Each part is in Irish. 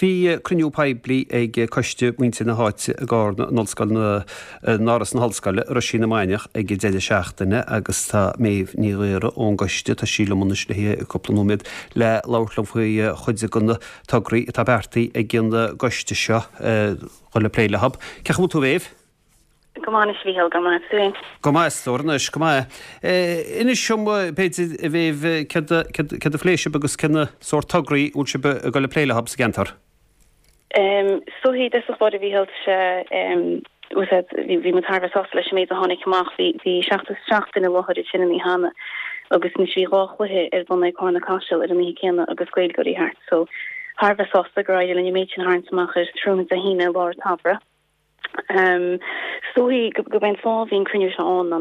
Bhí cruinniú poiblí ag coiste muintir na háite i gCarna in Ollscoil na, in Áras na hOllscoile, Roisín na Mainiach ag an deireadh seachtaine agus tá Méabh Ní Ghaora ón gcoiste, tá sí liom anois le haghaidh cúpla nóiméad le labhairt liom faoi chuid de na tograí atá beartaithe ag an gcoiste seo dhul ag plé leo. Cén chaoi a bhfuil tú a Mhéabh? Go maith anois, a Mhícheáil, go maith tú féin? Go maith, a stór anois, go maith. Inis dom, b'fhéidir, a Mhéabh, céard a phléigh sibh agus cén sórt tograí a bhfuil sibh ag dul ag plé leo sa gceantar? Is dóichí, i dtosach báire, a Mhícheáil, tá sé, bhí muid thar a bheith sásta leis an méid a tháinig amach. Bhí 77 duine i láthair ansin an oíche cheana agus anois bhí dhá chluiche ar bun ag Carna Caiseal ar an oíche céanna agus Gaeilgeoirí thart. So, thar a bheith sásta gur éirigh linn an méid sin a tharraingt amach ar tráthnóna Dé hAoine i lár an tsamhraidh. Is dóichí gurb é an fáth a bhí an cruinniú seo ann ná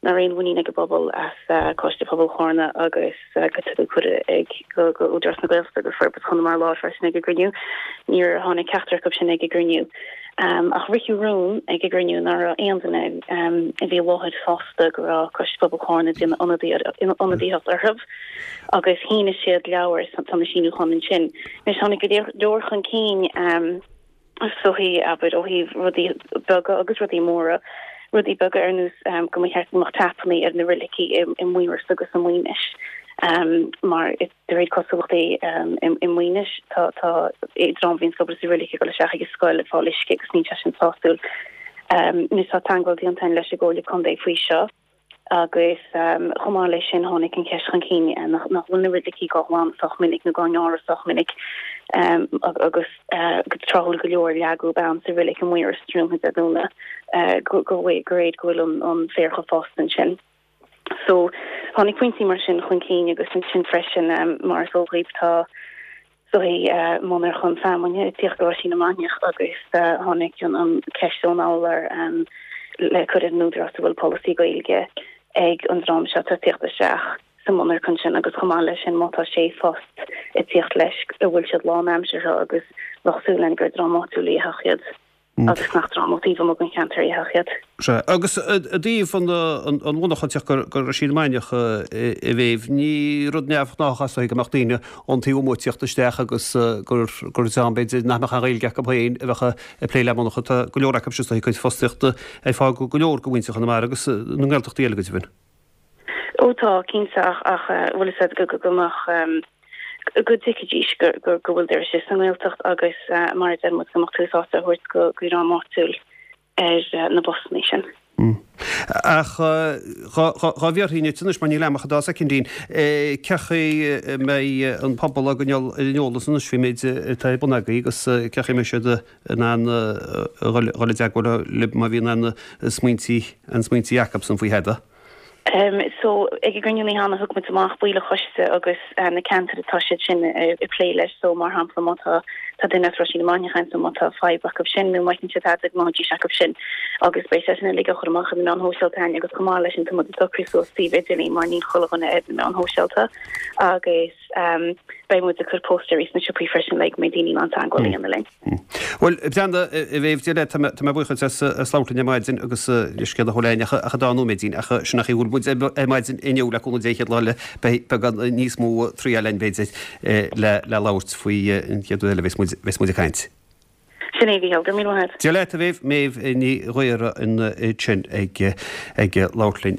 nach raibh aon mhuinín ag an bpobal as Coiste Pobail Chárna agus go tugadh cuireadh ag go Údarás na Gaeltachta agus Forbairt Chonamara Láir freisin ag an gcruinniú. Níor tháinig ceachtar acu sin ag an gcruinniú. Ach ritheadh rún ag an gcruinniú nach raibh aon duine a bhí i láthair sásta go raibh Coiste Pobail Chárna ag déanamh ionadaíocht orthu agus shínigh siad leabhar, tá na síniúcháin ansin. Anois tháinig go leor chun cinn. Is dóichí, abair, ó thaobh rudaí beaga agus rudaí móra, rudaí beaga ar nós go mba cheart go mbeadh tapannaí ar na roilicí i Maorais agus i Maínis mar de réir cosúlachtaí i Maínis tá tá dream a bhíonns ag obair sa roilic ag dul isteach ag an scoil ag fáil uisce agus níl sé sin sásúil. Anois tá teagmháil déanta againn leis an gComhairle Contae faoi seo. Agus chomh maith leis sin tháinig an cheist chun cinn nach bhfuil na roilicí á nglanadh sách minic nó á ngearradh sách minic agus go tráthúil go leor leagadh bean sa roilic i Maorais tráthnóna Dé Domhnaigh go réir go bhfuil an féar chomh fásta ansin. So tháinig pointí mar sin chun cinn agus ansin freisin mar is eol dhaoibh tá dóichí monarcha feamainne ag tíocht go Roisín na Mainiach agus tháinig an ceist ón urlabhra le cur ar an Údarás an bhfuil polasaí Gaeilge ag an dream seo atá ag tíocht isteach sa monarcha sin agus chomh maith leis sin má tá sé phost ag tíocht leis an bhfuil siad lánaimseartha agus bheadh súil againn gur dream áitiúil a dhéanfadh iad. agus nach dream ó taobh amuigh den cheantar a dhéanfadh iad. Sea, agus i dtaobh an mhonarcha ag teacht go Roisín na Mainiach, a Mhéabh, ní rud neamhghnách é is dóichí go mbeadh daoine ón taobh amuigh ag tíocht isteach agus gur dream b'fhéidir nach mbeadh aon Ghaeilge acu féin a bheadh ag plé le monarcha. Tá go leor acu is dóichí cuid fostaíochta ar fáil go leor de mhuintir Chonamara agus na nGaeltachtaí eile go deimhin. Ó tá, cinnte, ach ach bhfuil fhios agat go go mbeadh go dtuigfidís go go go bhfuil doras sa nGaeltacht agus mar a deir muid go mbeadh tús áite á thabhairt go go dhream áitiúil ar na postannaí sin. Ach dhá bhfiafróinn díot anois mar níl am ach an dá soicindín, cén chaoi a mbeidh an pobal á gcoinneáil ar an eolas anois faoin méid atá ar bun agaibh agus cén chaoi a mbeidh siad in ann a dhul i dteagmháil libh má bhíonn aon smaointí aon smaointí acusan faoi thada? So, ag an gcruinniú an oíche cheana thug muid amach baill an choiste agus na ceantair atá siad sin ag plé leis. So, mar shampla, má tá tá duine as Roisín na Mainiach ann, so má tá fadhb acu sin nó má fheiceann siad tada go mbeidís acu sin. Agus beidh sé sin uilig á chur amach ar na meáin shóisialta againn agus chomh maith leis sin tá muid ag socrú suas suíomh idirlín mar níl chuile dhuine ar na meáin shóisialta agus beidh muid ag cur póstaerí sna siopaí freisin le go mbeidh daoine in ann teagmháil a dhéanamh linn. Bhuel, Breanda, a Mhéabh, Dia leat, tá mé buíoch duit as labhairt linn ar maidin agus leithscéal a thabhairt ach ach an dá nóiméidín, ach sin an chaoi a bhfuil muid ar maidin inniu le cúnamh Dé an chéad lá eile, beidh beagán níos mó triail againn b'fhéidir le labhairt faoi an chéad uair eile a bheas muid bheas muid ag caint. Sin é, a Mhícheáil, go raibh míle maith agat. Dia leat, a Mhéabh, Méabh Ní Ghaora ansin ag ag labhairt linn.